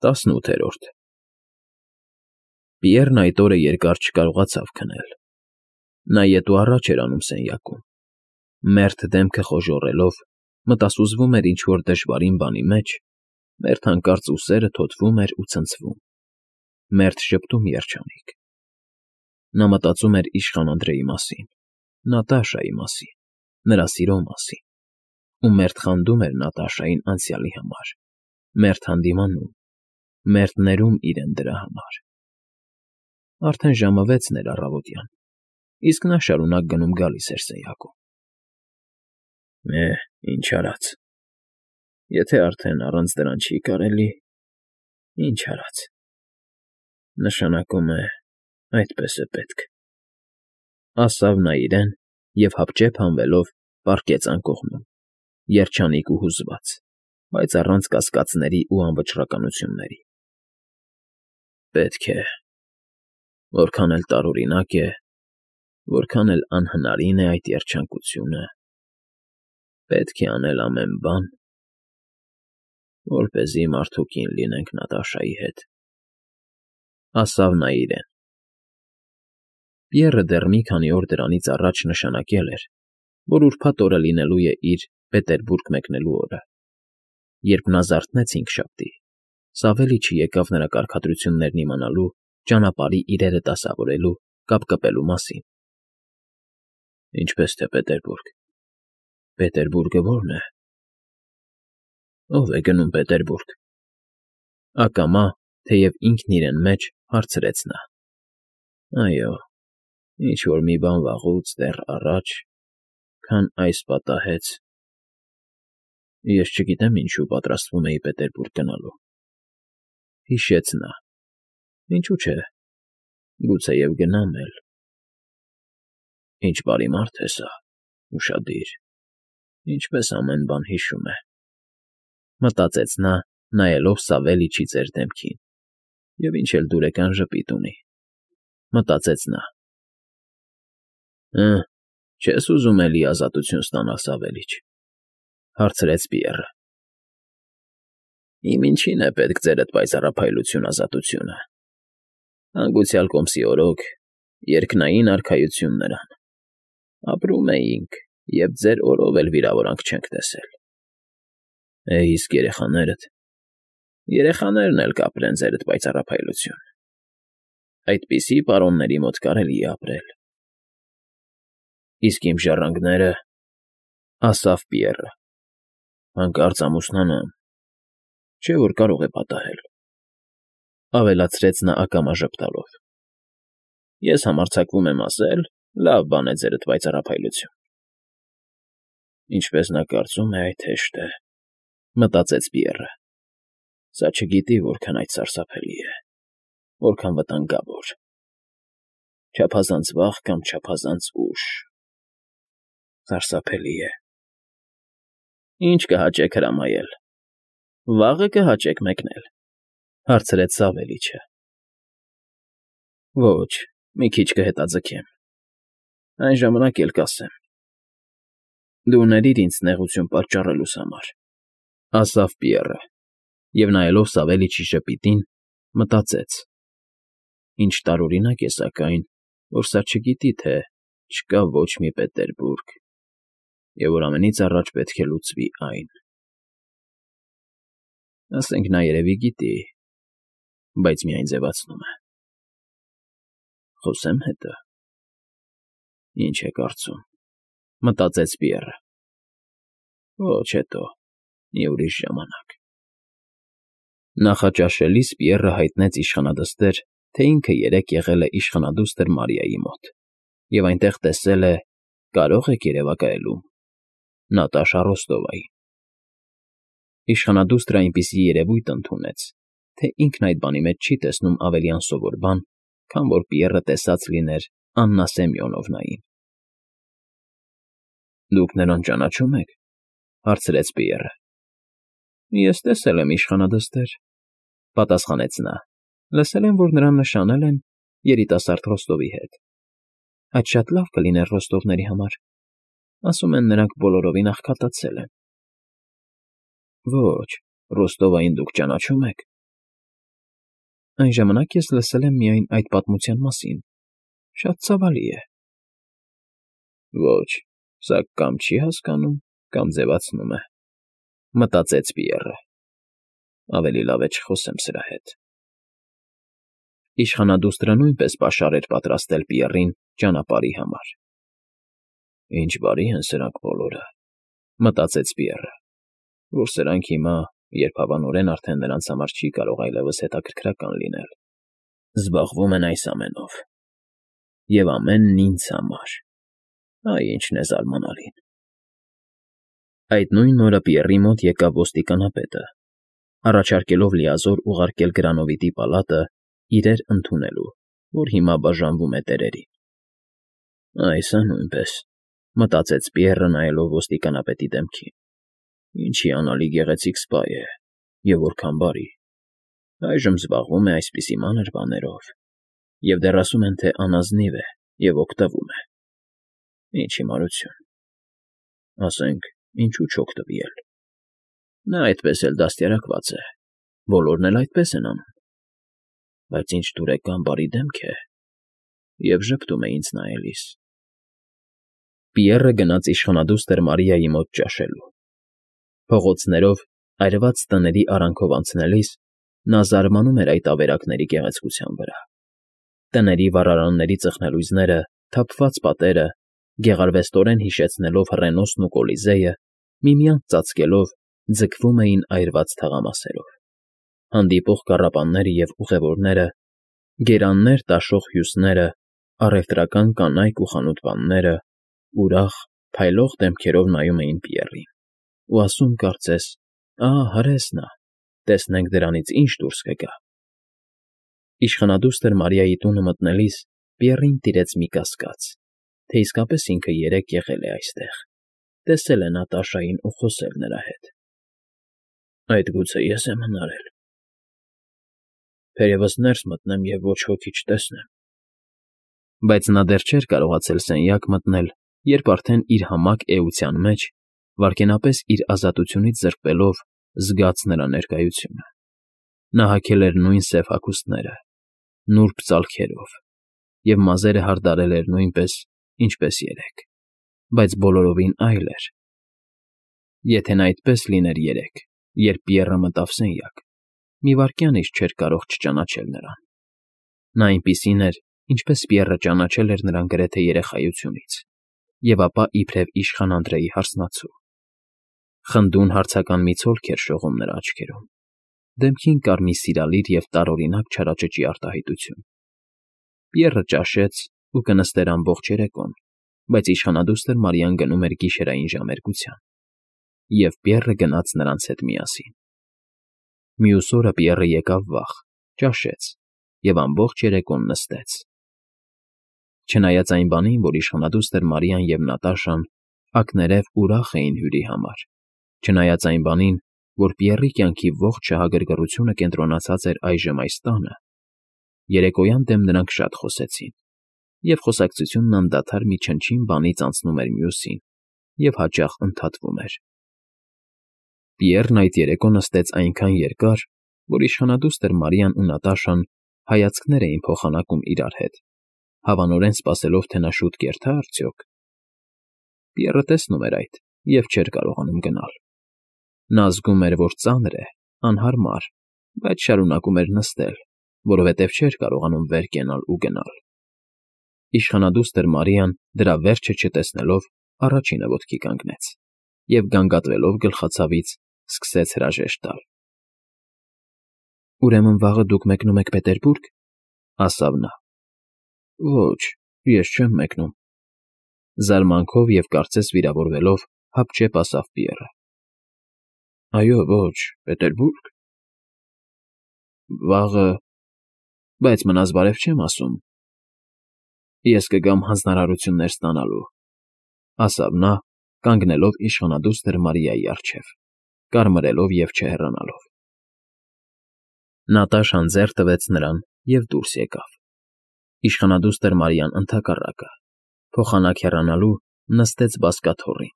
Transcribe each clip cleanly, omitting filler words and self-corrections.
18 Պիեռն այդ օրը երկար չկարողացավ քնել. նա ետ ու առաջ էր անում սենյակում, մերթ դեմքը խոժոռելով, մտասուզվում էր ինչ֊որ դժվարին բանի մեջ, մերթ հանկարծ ուսերը թոթվում էր ու ցնցվում, մերթ ժպտում երջանիկ. նա մտածում էր իշխան Անդրեի մասին, Նատաշայի մասին, նրա սիրո մասին, ու մերթ խանդում էր Նատաշային անցյալի համար, մերթ հանդիմանում, մերթ ներում իրեն դրա համար. Արդեն ժամը 6-ն էր առավոտյան, իսկ նա շարունակ գնում֊գալիս էր սենյակում. Ինչ արած, եթե արդեն առանց դրան չի կարելի, ինչ արած, նշանակում է այդպես է պետք, ասավ նա իրեն և հապճեպ հանվելով պառկեց անկողնում, երջանիկ ու հուզված, բայց առանց կասկածների ու անվճռականությունների. պետք է, որքան էլ տարօրինակ է, որքան էլ անհնարին է այդ երջանկությունը, պետք է անել ամեն բան, որպեսզի մարդուկին լինենք Նատաշայի հետ, ասավ նա իրեն. Պիեռը դեռ մի քանի օր դրանից առաջ նշանակել էր, որ ուրբաթ օրը լինելու է իր Պետերբուրգ մեկնելու օրը, երբ նա զարթնեց հինգշաբթի, Սավելիչը եկավ նրա կարգադրություններն իմանալու, ճանապարհի իրերը դասավորելու, կապկպելու մասին. Ինչպես թե Պետերբուրգ, Պետերբուրգը ո՞րն է, ո՞վ է գնում Պետերբուրգ, ակամա, թեև ինքն իրեն մեջ հարցրեց նա. այո, ինչ֊որ մի բան վաղուց դեռ առաջ, քան այս պատահեց, ես չգիտեմ ինչու պատրաստվում էի Պետերբուրգ գնալու, հիշեց նա, ինչու՞ չէ, գուցեև գնամ էլ, ինչ բարի մարդ է սա, ուշադիր, ինչպես ամեն բան հիշում է, մտածեց նա, նայելով Սավելիչի ծեր դեմքին, և ինչ էլ դուրեկան ժպիտ ունի, մտածեց նա. չես ուզում էլի ազատություն ստանալ, Սավելիչ, հարցրեց Պիեռը. Իմ ինչին է պետք ձերդ պայծառափայլություն ազատությունը, հանգուցյալ կոմսի օրոք, երկնային արքայություն նրան, ապրում էինք, և ձեր օրով էլ վիրավորանք չենք տեսել, իսկ երեխաներդ, երեխաներն էլ կապրեն ձերդ պայծառափայլություն, այդպիսի պարոնների մոտ կարելի է ապրել, իսկ իմ ժառանգները, ասավ Պիեռը, հանկարծ ամուսնանան, չէ՞ որ կարող է պատահել, ավելացրեց նա ակամա ժպտալով, ես համարձակվում եմ ասել, լավ բան է ձերդ պայծառափայլություն, ինչպես նա կարծում է այդ հեշտ է, մտածեց Պիեռը, սա չգիտի որքան այդ սարսափելի է, որքան վտանգավոր, չափազանց վաղ կամ չափազանց ուշ, սարսափելի է, ինչ կհաճեք հրամայել, վաղը կհաճեք մեկնել, հարցրեց Սավելիչը, ոչ, մի քիչ կհետաձգեմ, այն ժամանակ էլ կասեմ, դու ներիր ինձ նեղություն պատճառելուս համար, ասավ Պիեռը, և նայելով Սավելիչի ժպիտին, մտածեց. ինչ տարօրինակ է սակայն, որ սա չգիտի, թե չկա ոչ մի Պետերբուրգ, և որ ամենից առաջ պետք է լուծվի այն, ասենք նա երևի գիտի, բայց միայն ձևացնում է, խոսե՞մ հետը, ինչ է կարծում, մտածեց Պիեռը, ոչ հետո, մի ուրիշ ժամանակ, նախաճաշելիս Պիեռը հայտնեց իշխանադստեր, թե ինքը երեկ եղել է իշխանադուստր Մարիայի մոտ և այնտեղ տեսել է, կարող եք երևակայելու, Նատաշա Ռոստովային, իշխանադուստրը այնպիսի երևույթ ընդունեց, թե ինքն այդ բանի մեջ չի տեսնում ավելի անսովոր բան, քան որ Պիեռը տեսած լիներ Աննա Սեմյոնովնային։ Դուք նրան ճանաչում եք, հարցրեց Պիեռը։ Ես տեսել եմ իշխանադստեր, պատասխանեց նա, լսել եմ, որ նրան նշանել են երիտասարդ Ռոստովի հետ, այդ շատ լավ կլիներ Ռոստովների համար, ասում են նրանք բոլորովին աղքատացել են։ Ոչ, Ռոստովային դուք ճանաչում եք, Այն ժամանակ ես լսել եմ միայն այդ պատմության մասին. շատ ցավալի է։ Ոչ, սա կամ չի հասկանում, կամ ձևացնում է, մտածեց Պիեռը։ Ավելի լավ է չխոսեմ սրա հետ։ Իշխանադուստրը նույնպես պաշար էր պատրաստել Պիեռին ճանապարհի համար։ Ինչ բարի են սրանք բոլորը, մտածեց Պիեռը, որ սրանք հիմա, երբ հավանորեն արդեն նրանց համար չի կարող այլևս հետաքրքրական լինել, զբաղվում են այս ամենով։ Եվ ամենն ինձ համար։ Այ ինչն է զարմանալին։ Այդ նույն օրը Պիեռի մոտ եկավ ոստիկանապետը, առաջարկելով լիազոր ուղարկել Գրանովիտի պալատը իրեր ընդունելու, որ հիմա բաժանվում է տերերին։ Այս է նույնպես, մտածեց Պիեռը նայելով ոստիկանապետի դեմքին։ Ինչի անալի գեղեցիկ սպա է, և որքան բարի։ Այժմ զբաղվում է այսպիսի մանր բաներով, և դեռ ասում են, թե անազնիվ է և օգտվում է։ Ինչ հիմարություն։ Ասենք, ինչու չօգտվի էլ։ Նա այդպես էլ դաստիարակված է, բոլորն էլ այդպես են անում։ Բայց ինչ դուրեկան բարի դեմք է, և ժպտում է ինձ նայելիս։ Պիեռը գնաց իշխանադուստր Մարիայի մոտ ճաշելու։ Փողոցներով, այրված տների արանքով անցնելիս նա զարմանում էր այդ ավերակների գեղեցկության վրա։ Տների վառարանների ծխնելույզները, թափված պատերը, գեղարվեստորեն հիշեցնելով Ռենոսն ու Կոլիզեյը, միմյանց ծածկելով, ձգվում էին այրված թաղամասերով։ Հանդիպող կառապանները և ուղևորները, գերաններ տաշող հյուսները, առևտրական կանայք ու խանութպանները ուրախ, փայլող դեմքերով նայում էին Պիեռին ու ասում կարծես. «Ահա հրես նա, տեսնենք դրանից ինչ դուրս կգա»։ Իշխանադուստր Մարիայի տունը մտնելիս Պիեռին տիրեց մի կասկած, թե իսկապես ինքը երեկ եղել է այստեղ, տեսել է Նատաշային ու խոսել նրա հետ։ Այդ գուցե ես եմ հնարել։ Թերևս ներս մտնեմ և ոչ ոքի չտեսնեմ։ Բայց նա դեռ չէր կարողացել սենյակ մտնել, երբ արդեն իր համակ էության մեջ, վայրկենապես իր ազատությունից զրկվելով, զգաց նրա ներկայությունը։ Նա հագել էր նույն սև հագուստները, նուրբ ծալքերով, և մազերը հարդարել էր նույնպես, ինչպես երեկ, բայց բոլորովին այլ էր։ Եթե նա այդպես լիներ երեկ, երբ Պիեռը մտավ սենյակ, մի վայրկյան էլ չէր կարող չճանաչել նրան։ Նա այնպիսին էր, ինչպես Պիեռը ճանաչել էր նրան գրեթե երեխայությունից, և ապա իբրև իշխան Անդրեի հարսնացու։ Խնդուն հարցական մի ցոլք էր շողում նրա աչքերում, դեմքին կար մի սիրալիր և տարօրինակ չարաճճի արտահայտություն։ Պիեռը ճաշեց ու կնստեր ամբողջ երեկոն, բայց իշխանադուստր Մարիան գնում էր գիշերային ժամերգության, և Պիեռը գնաց նրանց հետ միասին։ Մյուս օրը Պիեռը եկավ վաղ, ճաշեց և ամբողջ երեկոն նստեց։ Չնայած այն բանին, որ իշխանադուստր Մարիան և Նատաշան ակներև ուրախ էին հյուրի համար, չնայած այն բանին, որ Պիեռի կյանքի ողջ շահագրգռությունը կենտրոնացած էր այժմ այս տանը, երեկոյան դեմ նրանք շատ խոսեցին, և խոսակցությունն անդադար մի չնչին բանից անցնում էր մյուսին և հաճախ ընդհատվում էր։ Պիեռն այդ երեկո նստեց այնքան երկար, որ իշխանադուստր Մարիան ու Նատաշան հայացքներ էին փոխանակում իրար հետ, հավանորեն սպասելով, թե նա շուտ կերթա՞ արդյոք։ Պիեռը տեսնում էր այդ և չէր կարողանում գնալ։ Նա զգում էր, որ ծանր է, անհարմար, բայց շարունակում էր նստել, որովհետև չէր կարողանում վեր կենալ ու գնալ։ Իշխանադուստր Մարիան, դրա վերջը չտեսնելով, առաջինը ոտքի կանգնեց և, գանգատվելով գլխացավից, սկսեց հրաժեշտ տալ։ «Ուրեմն վաղը դուք մեկնում եք Պետերբուրգ,֊ ասավ նա։ Ոչ, ես չեմ մեկնում,֊ զարմանքով և կարծես վիրավորվելով հապճեպ ասավ Պիեռը։ Այո, ոչ, Պետերբուրգ։ Վաղը, բայց մնաս բարև չեմ ասում։ Ես կգամ հանձնարարություններ ստանալու,֊ ասավ նա, կանգնելով իշխանադուստր Մարիայի առջև, կարմրելով և չհեռանալով։ Նատաշան ձեռք տվեց նրան և դուրս եկավ։ Իշխանադուստր Մարիան ընդհակառակը, փոխանակ հեռանալու, նստեց բազկաթոռին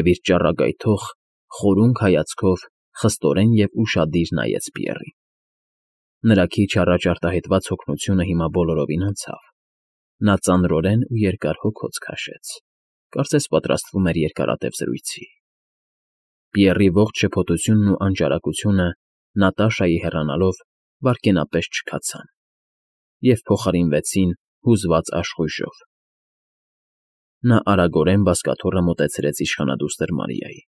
և իր ճառագայթող, խորունկ հայացքով խստորեն և ուշադիր նայեց Պիեռին։ Նրա քիչ առաջ արտահայտված հոգնությունը հիմա բոլորովին անցավ. նա ծանրորեն ու երկար հոգոց քաշեց, կարծես պատրաստվում էր երկարատև զրույցի։ Պիեռի ողջ շփոթությունն ու անճարակությունը Նատաշայի հեռանալով վայրկենապես չքացան և փոխարինվեցին հուզված աշխույժով։ Նա արագորեն բազկաթոռը մոտեցրեց իշխանադուստր Մարիային։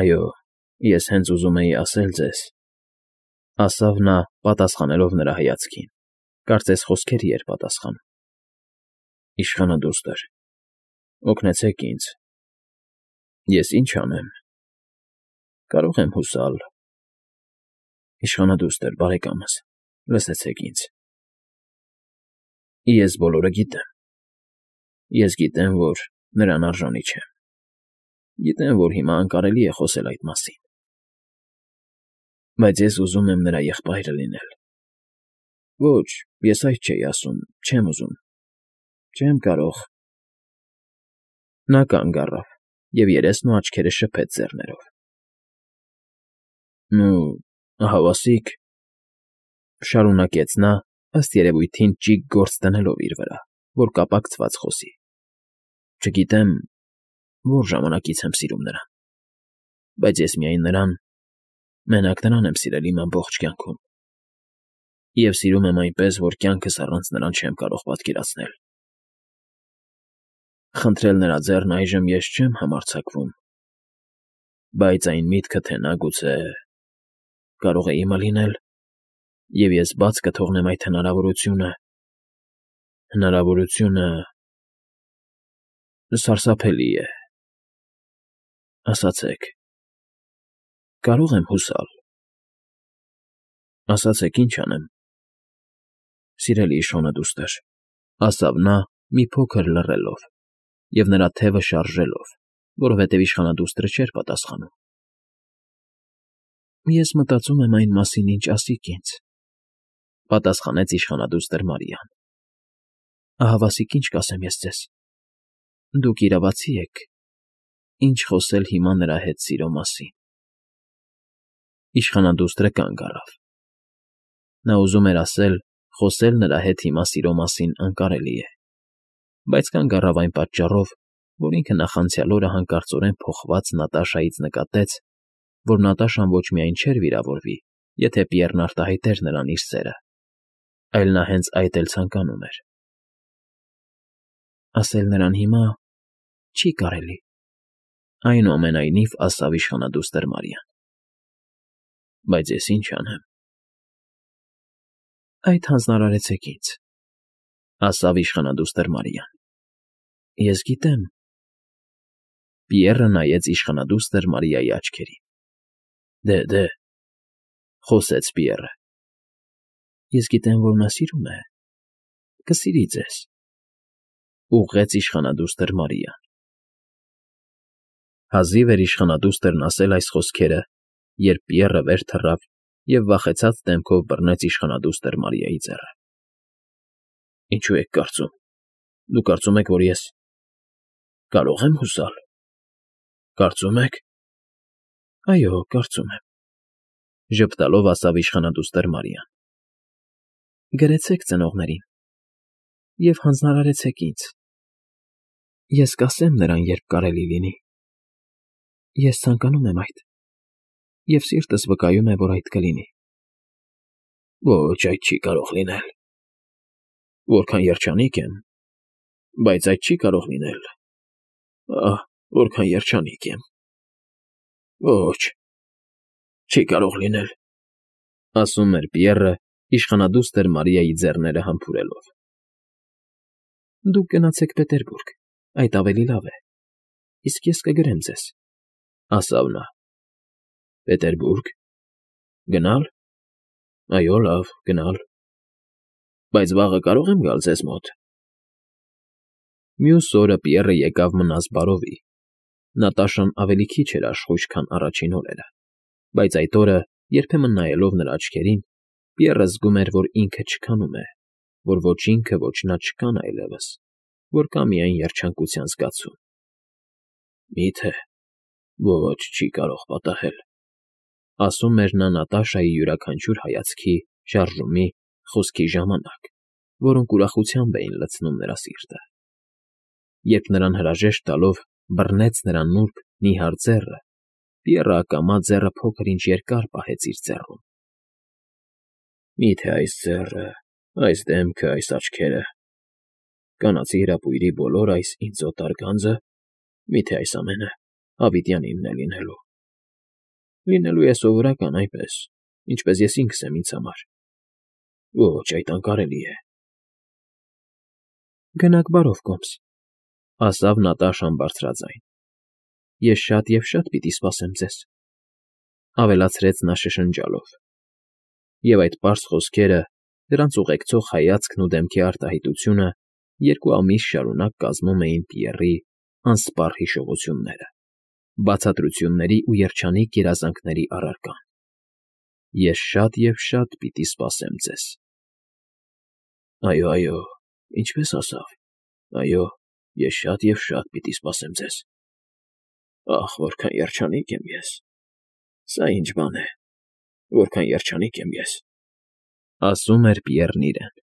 «Այո, ես հենց ուզում էի ասել ձեզ,֊ ասավ նա, պատասխանելով նրա հայացքին, կարծես խոսքերի էր պատասխանում,֊ իշխանադուստր, օգնեցեք ինձ, ես ինչ անեմ, կարող եմ հուսալ, իշխանադուստր, բարեկամս, լսեցեք ինձ, ես բոլորը գիտեմ, ես գիտեմ, որ նրան արժանի չեմ, գիտեմ, որ հիմա անկարելի է խոսել այդ մասին, բայց ես ուզում եմ նրա եղբայրը լինել։ Ոչ, ես այդ չէի ասում, չեմ ուզում, չեմ կարող…» Նա կանգ առավ և երեսն ու աչքերը շփեց ձեռներով։ «Նու, ահավասիկ,֊ շարունակեց նա, ըստ երևույթին ճիգ գործ դնելով իր վրա, որ կապակցված խոսի,֊ չգիտեմ որ ժամանակից եմ սիրում նրան, բայց ես միայն նրան, մենակ նրան եմ սիրել իմ ամբողջ կյանքում, և սիրում եմ այնպես, որ կյանքս առանց նրան չեմ կարող պատկերացնել։ Խնդրել նրա ձեռն այժմ ես չեմ համարձակվում, բայց այն միտքը, թե նա գուցե կարող է իմը լինել, և ես բաց կթողնեմ այդ հնարավորությունը… սարսափելի է… Ասացեք, կարո՞ղ եմ հուսալ… Ասացեք, ինչ անեմ… Սիրելի իշխանադուստր,֊ ասավ նա, մի փոքր լռելով և նրա թևը շարժելով, որովհետև իշխանադուստրը չէր պատասխանում,֊ Ես մտածում եմ այն մասին, ինչ ասիք ինձ,֊ պատասխանեց իշխանադուստր Մարիան։ Ահավասիկ, ինչ կասեմ ես ձեզ… Դուք իրավացի եք, ինչ խոսել հիմա նրա հետ սիրո մասին… Իշխանադուստրը կանգ առավ։ Նա ուզում էր ասել. խոսել նրա հետ հիմա սիրո մասին անկարելի է, բայց կանգ առավ այն պատճառով, որ ինքը նախանցյալ օրը հանկարծորեն փոխված Նատաշայից նկատեց, որ Նատաշան ոչ միայն չէր վիրավորվի, եթե Պիեռն արտահայտեր նրան իր սերը, այլ նա հենց այդ էլ ցանկանում էր։ Ասել նրան հիմա չի կարելի, այնուամենայնիվ ասավ իշխանադուստր Մարիան։ Բայց ես ինչ անեմ… Այդ հանձնարարեցեք ինձ, ասավ իշխանադուստր Մարիան։ Ես գիտեմ… Պիեռը նայեց իշխանադուստր Մարիայի աչքերին։ Դե,֊ խոսեց Պիեռը,֊ ես գիտեմ, որ նա սիրում է, կսիրի ձեզ,֊ ուղղեց իշխանադուստր Մարիան։ Հազիվ էր իշխանադուստրն ասել այս խոսքերը, երբ Պիեռը վեր թռավ և վախեցած դեմքով բռնեց իշխանադուստր Մարիայի ձեռը։ Ինչո՞ւ եք կարծում… Դուք կարծում եք, որ ես… կարո՞ղ եմ հուսալ… Կարծում եք… Այո, կարծում եմ,֊ ժպտալով ասավ իշխանադուստր Մարիան։ Գրեցեք ծնողներին և հանձնարարեցեք ինձ… Ես կասեմ նրան, երբ կարելի լինի… Ես ցանկանում եմ այդ… և սիրտս վկայում է, որ այդ կլինի… Ոչ, այդ չի կարող լինել… Որքան երջանիկ եմ… Բայց այդ չի կարող լինել… Ահ, որքան երջանիկ եմ… Ոչ, չի կարող լինել…֊ ասում էր Պիեռը, իշխանադուստր Մարիայի ձեռները համբուրելով։ Դուք գնացեք Պետերբուրգ, այդ ավելի լավ է, իսկ ես կգրեմ ձեզ,֊ ասավ նա։ Պետերբուրգ… Գնալ… Այո, լավ, գնալ… Բայց վաղը կարո՞ղ եմ գալ ձեզ մոտ… Մյուս օրը Պիեռը եկավ մնաս բարովի։ Նատաշան ավելի քիչ էր աշխույժ, քան առաջին օրերը, բայց այդ օրը, երբեմն նայելով նրա աչքերին, Պիեռը զգում էր, որ ինքը չքանում է, որ ոչ ինքը, ոչ նա չկան այլևս, որ կա միայն երջանկության զգացում։ Մի՞թե… Ոչ, չի կարող պատահել… Ասում էր նա Նատաշայի յուրաքանչյուր հայացքի, շարժումի, խոսքի ժամանակ, որոնք ուրախությամբ էին լցնում նրա սիրտը։ Երբ նրան հրաժեշտ տալով բռնեց նրա նուրբ, նիհար ձեռը, Պիեռը ակամա ձեռը փոքր֊ինչ երկար պահեց իր ձեռում։ «Մի՞թե այս ձեռը, այս դեմքը, այս աչքերը, կանացի հրապույրի բոլոր այս ինձ օտար գանձը, մի՞թե այս ամենը հավիտյան իմն է լինելու։ Լինելու է սովորական այնպես, ինչպես ես ինքս եմ ինձ համար։ Ոչ, այդ անկարելի է»։ «Գնաք բարով, կոմս,֊ ասավ Նատաշան բարձրաձայն։֊ Ես շատ և շատ պիտի սպասեմ ձեզ,֊ ավելացրեց նա շշնջալով։ Եվ այդ պարզ խոսքերը, դրանց ուղեկցող հայացքն ու դեմքի արտահայտությունը 2 ամիս շարունակ կազմում էին Պիեռի անսպառ հիշողությունները, բացատրությունների ու երջանիկ երազանքների առարկան։ Ես շատ և շատ պիտի սպասեմ ձեզ… Այո, ինչպես ասավ. այո, ես շատ և շատ պիտի սպասեմ ձեզ… Ախ, որքան երջանիկ եմ ես… Սա ինչ բան է… Որքան երջանիկ եմ ես… Ասում էր Պիեռն իրեն։